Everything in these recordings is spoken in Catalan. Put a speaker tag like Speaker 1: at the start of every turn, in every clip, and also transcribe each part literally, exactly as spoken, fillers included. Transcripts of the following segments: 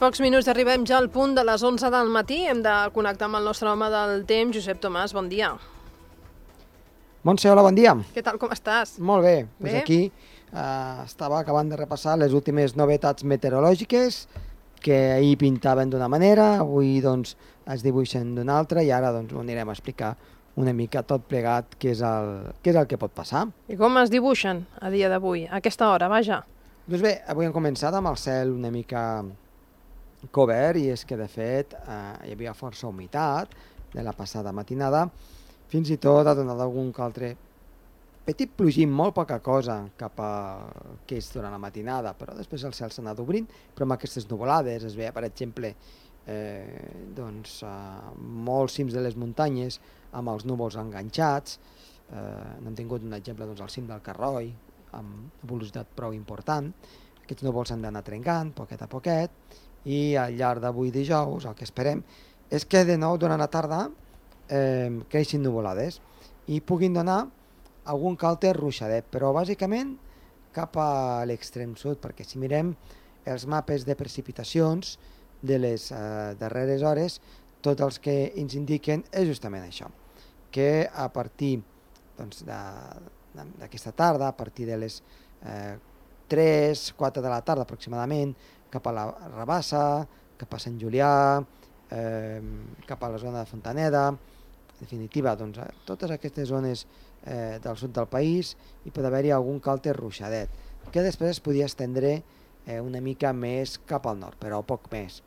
Speaker 1: pocs minuts arribem ja al punt de les onze del matí. Hem de connectar amb el nostre home del temps, Josep Tomàs. Bon dia.
Speaker 2: Montse, hola, bon dia.
Speaker 1: Què tal, com estàs?
Speaker 2: Molt bé.
Speaker 1: Bé?
Speaker 2: Pues aquí eh, estava acabant de repassar les últimes novetats meteorològiques que ahir pintaven d'una manera, avui doncs es dibuixen d'una altra i ara doncs ho anirem a explicar una mica tot plegat què és el, què és el que pot passar.
Speaker 1: I com es dibuixen a dia d'avui, a aquesta hora, vaja?
Speaker 2: Doncs bé, avui hem començat amb el cel una mica cobert i és que de fet eh, hi havia força humitat de la passada matinada, fins i tot ha donat algun que altre petit plogim, molt poca cosa cap a que és durant la matinada, però després el cel s'ha anat obrint, però amb aquestes nuvolades es veia, per exemple, eh, doncs, eh, molts cims de les muntanyes amb els núvols enganxats, eh, n'hem tingut un exemple doncs, al cim del Carroi, amb una velocitat prou important. Aquests núvols s'han d'anar trencant poquet a poquet i al llarg d'avui dijous el que esperem és que de nou durant la tarda eh, creixin nuvolades i puguin donar algun que altre ruixadet, però bàsicament cap a l'extrem sud, perquè si mirem els mapes de precipitacions de les eh, darreres hores, tots els que ens indiquen és justament això, que a partir doncs, de d'aquesta tarda, a partir de les eh, tres quatre de la tarda aproximadament, cap a la Rabassa, cap a Sant Julià, eh, cap a la zona de Fontaneda, en definitiva, doncs, eh, totes aquestes zones eh, del sud del país hi pot haver-hi algun que altre ruixadet, que després es podia estendre eh, una mica més cap al nord, però poc més.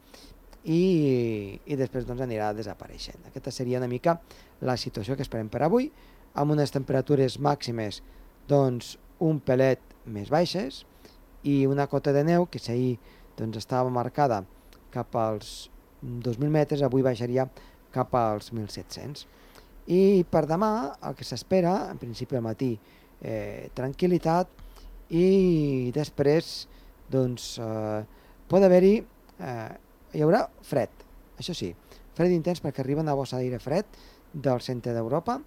Speaker 2: I, i després doncs, anirà desapareixent. Aquesta seria una mica la situació que esperem per avui, amb unes temperatures màximes doncs, un pelet més baixes i una cota de neu que si ahir doncs, estava marcada cap als dos mil metres, avui baixaria cap als mil set-cents. I per demà el que s'espera, en principi al matí, eh, tranquil·litat i després doncs, eh, pot haver-hi, eh, hi haurà fred, això sí, fred intens perquè arriba una bossa d'aire fred del centre d'Europa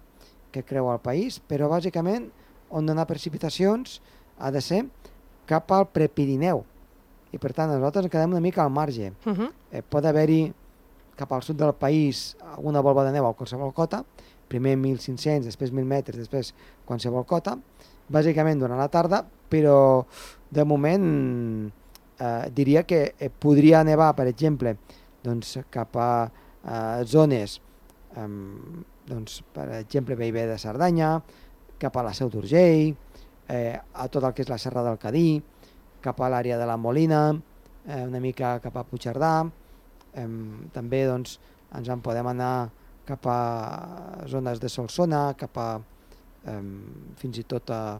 Speaker 2: que creu el país, però bàsicament on donar precipitacions ha de ser cap al Prepirineu i per tant nosaltres quedem una mica al marge.
Speaker 1: Uh -huh.
Speaker 2: eh, pot haver-hi cap al sud del país alguna volva de neu a qualsevol cota, primer mil cinc-cents, després mil metres, després qualsevol cota, bàsicament durant la tarda, però de moment eh, diria que eh, podria nevar, per exemple, doncs, cap a eh, zones eh, doncs, per exemple, Bellver de Cerdanya, cap a la Seu d'Urgell, eh, a tot el que és la Serra del Cadí, cap a l'àrea de la Molina, eh, una mica cap a Puigcerdà, eh, també doncs, ens en podem anar cap a zones de Solsona, cap a eh, fins i tot a,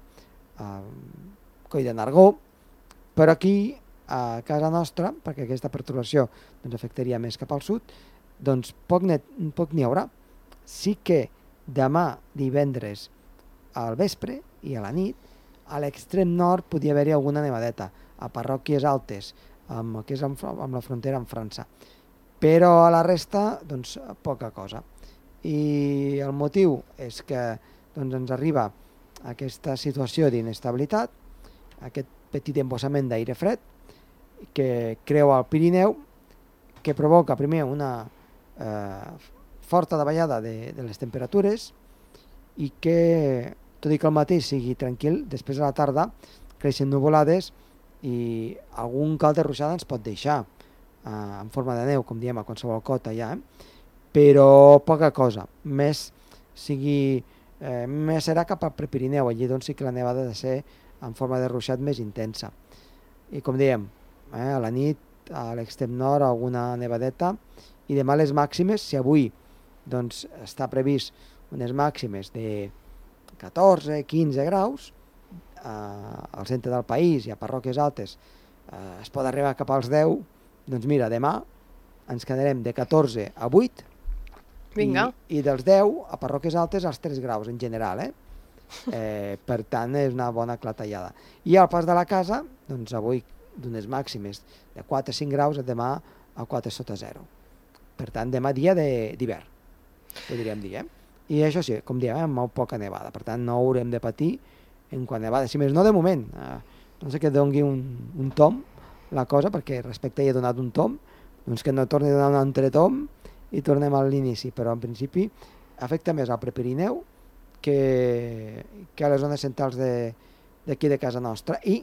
Speaker 2: a Coll de Nargó, però aquí a casa nostra, perquè aquesta perturbació doncs, afectaria més cap al sud, doncs poc n'hi poc n'hi haurà. Sí que demà divendres al vespre i a la nit a l'extrem nord podia haver-hi alguna nevadeta a parròquies altes amb, que és amb, amb la frontera amb França, però a la resta doncs poca cosa. I el motiu és que doncs, ens arriba aquesta situació d'inestabilitat, aquest petit embossament d'aire fred que creua el Pirineu, que provoca primer una eh, forta davallada de, de les temperatures i que, tot i que el matí sigui tranquil, després a la tarda creixen nuvolades i algun cal de ruixada ens pot deixar eh, en forma de neu, com diem, a qualsevol cota ja, eh? Però poca cosa, més sigui eh, més serà cap al Prepirineu, allí doncs sí que la nevada ha de ser en forma de ruixat més intensa. I com dèiem, eh, a la nit a l'extrem nord alguna nevadeta i demà les màximes, si avui doncs, està previst unes màximes de catorze quinze graus eh, al centre del país i a parròquies altes eh, es pot arribar cap als deu, doncs mira, demà ens quedarem de catorze a vuit.
Speaker 1: Vinga.
Speaker 2: I, i dels deu a parròquies altes als tres graus en general, eh? Eh, per tant és una bona clatellada. I al pas de la casa, doncs avui d'unes màximes de quatre a cinc graus, demà a quatre sota zero. Per tant, demà dia d'hivern, podríem dir, eh? I això sí, com diem, amb molt poca nevada, per tant no haurem de patir en quant a nevada, si més no de moment, eh, no sé que doni un, un tom la cosa, perquè respecte hi he donat un tom, doncs que no torni a donar un entretom i tornem a l'inici, però en principi afecta més al Prepirineu que, que a les zones centrals d'aquí de, de casa nostra i,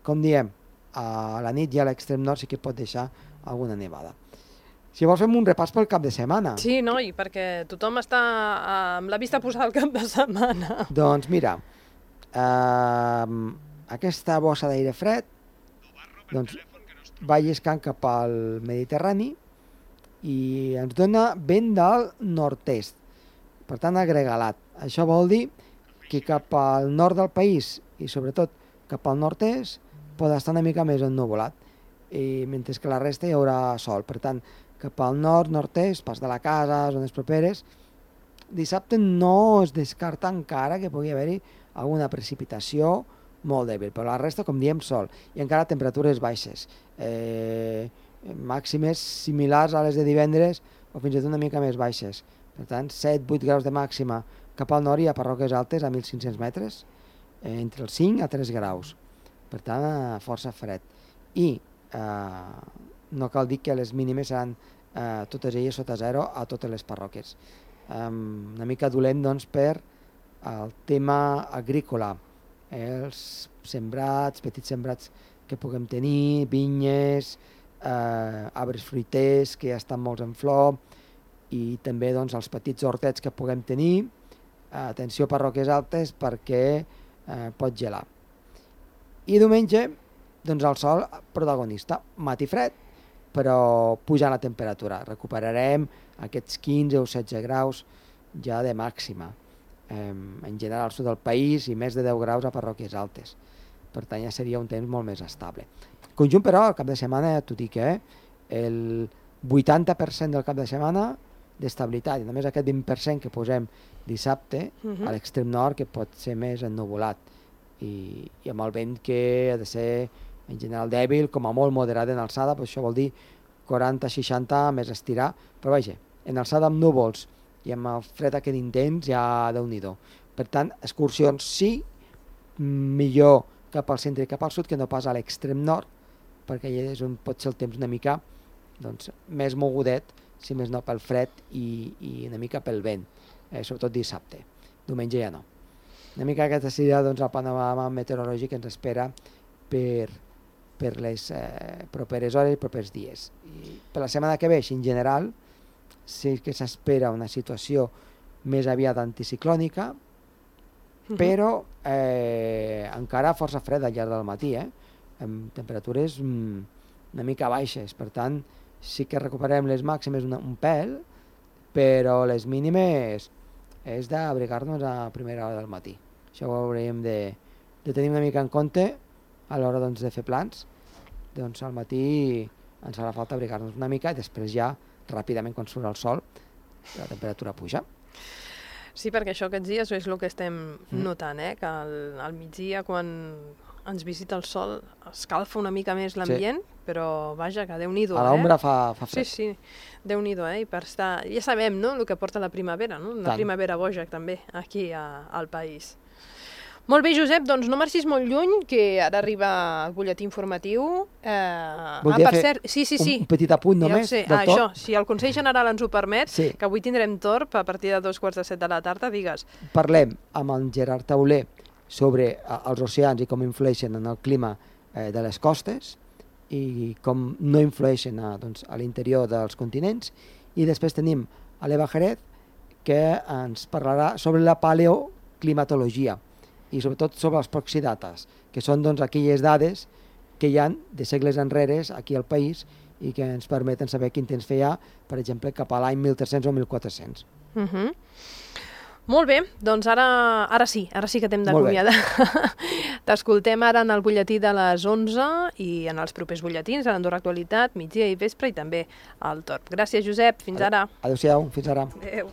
Speaker 2: com diem, a la nit i a l'extrem nord sí que pot deixar alguna nevada. Si vols fem un repàs pel cap de setmana.
Speaker 1: Sí, no, i perquè tothom està amb la vista posada al cap de setmana.
Speaker 2: Doncs mira, eh, aquesta bossa d'aire fred doncs, va lliscant cap al Mediterrani i ens dona vent del nord-est, per tant agregalat. Això vol dir que cap al nord del país i sobretot cap al nord-est pot estar una mica més ennuvolat, i mentre que la resta hi haurà sol. Per tant, cap al nord, nord-est, pas de la casa, zones properes, dissabte no es descarta encara que pugui haver-hi alguna precipitació molt dèbil, però la resta, com diem, sol, i encara temperatures baixes, eh, màximes similars a les de divendres o fins i tot una mica més baixes. Per tant, set vuit graus de màxima. Cap al nord hi ha parròquies altes a mil cinc-cents metres, eh, entre els cinc a tres graus. Per tant, força fred. I eh, no cal dir que les mínimes seran eh, totes elles sota zero a totes les parròquies. Eh, una mica dolent, doncs, per el tema agrícola. Eh, els sembrats, petits sembrats que puguem tenir, vinyes, eh, arbres fruiters que ja estan molts en flor, i també doncs, els petits hortets que puguem tenir. Eh, atenció a parròquies altes perquè eh, pot gelar. I diumenge, doncs el sol protagonista, matí fred, però pujant la temperatura. Recuperarem aquests quinze o setze graus ja de màxima. Eh, en general al sud del país i més de deu graus a parròquies altes. Per tant, ja seria un temps molt més estable. Conjunt, però, al cap de setmana, ja t'ho dic, eh? el vuitanta per cent del cap de setmana d'estabilitat, i només aquest vint per cent que posem dissabte, uh-huh. a l'extrem nord, que pot ser més ennuvolat. I, i amb el vent que ha de ser en general dèbil, com a molt moderat en alçada, però això vol dir quaranta seixanta més estirar, però vaja, en alçada amb núvols i amb el fred aquest intens ja déu-n'hi-do. Per tant, excursions sí, millor cap al centre i cap al sud que no pas a l'extrem nord, perquè allà és on pot ser el temps una mica doncs, més mogudet, si més no pel fred i, i una mica pel vent, eh, sobretot dissabte. Diumenge ja no. Una mica aquesta seria doncs, el panorama meteorològic que ens espera per, per les eh, properes hores i propers dies. I per la setmana que ve, en general, sí que s'espera una situació més aviat anticiclònica, uh-huh. però eh, encara força freda al llarg del matí, eh? amb temperatures mm, una mica baixes. Per tant, sí que recuperem les màximes una, un pèl, però les mínimes és d'abrigar-nos a primera hora del matí. Això ho hauríem de, de tenir una mica en compte a l'hora doncs, de fer plans. Doncs al matí ens farà falta abrigar-nos una mica i després ja ràpidament quan surt el sol la temperatura puja.
Speaker 1: Sí, perquè això aquests dies és el que estem mm. notant, eh? que al, al migdia quan ens visita el sol escalfa una mica més l'ambient, sí. però vaja, que Déu-n'hi-do.
Speaker 2: A l'ombra
Speaker 1: eh?
Speaker 2: fa, fa fred.
Speaker 1: Sí, sí, Déu-n'hi-do, eh? I per estar... ja sabem, no?, el que porta la primavera, no? Una Tant. primavera boja també, aquí a, al país. Molt bé, Josep, doncs no marxis molt lluny, que ara arriba el butlletí informatiu. Eh...
Speaker 2: Voldria
Speaker 1: ah, per
Speaker 2: fer
Speaker 1: cert, sí, sí, sí.
Speaker 2: un petit apunt només
Speaker 1: ja
Speaker 2: del
Speaker 1: ah,
Speaker 2: torn.
Speaker 1: Això, si el Consell General ens ho permet, sí. que avui tindrem torb a partir de dos quarts de set de la tarda, digues.
Speaker 2: Parlem amb en Gerard Tauler sobre els oceans i com influeixen en el clima eh, de les costes i com no influeixen a, doncs, a l'interior dels continents, i després tenim a l'Eva Jerez que ens parlarà sobre la paleoclimatologia i sobretot sobre els proxidates, que són doncs, aquelles dades que hi ha de segles enrere aquí al país i que ens permeten saber quin temps feia, per exemple, cap a l'any mil tres-cents o mil quatre-cents.
Speaker 1: Uh-huh. Molt bé, doncs ara, ara sí, ara sí que t'hem d'acomiadar. T'escoltem ara en el butlletí de les onze i en els propers butlletins, a l'Andorra Actualitat, migdia i vespre i també al Torb. Gràcies, Josep, fins ara.
Speaker 2: Adéu-siau, fins ara.
Speaker 1: Adéu.